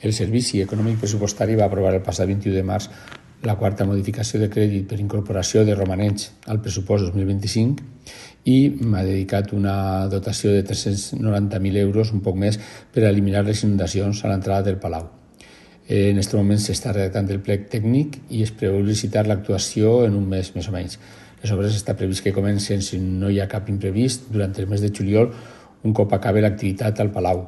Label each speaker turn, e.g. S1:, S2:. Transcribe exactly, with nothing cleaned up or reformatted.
S1: El Servici Econòmic Pressupostari va aprovar el passat vint-i-u de març la quarta modificació de crèdit per incorporació de romanents al pressupost dos mil vint-i-cinc i m'ha dedicat una dotació de tres-cents noranta mil euros, un poc més, per a eliminar les inundacions a l'entrada del Palau. En aquest moment s'està redactant el plec tècnic i es preveu licitar l'actuació en un mes més o menys. Les obres està previst que comencen, si no hi ha cap imprevist, durant el mes de juliol, un cop acabi l'activitat al Palau.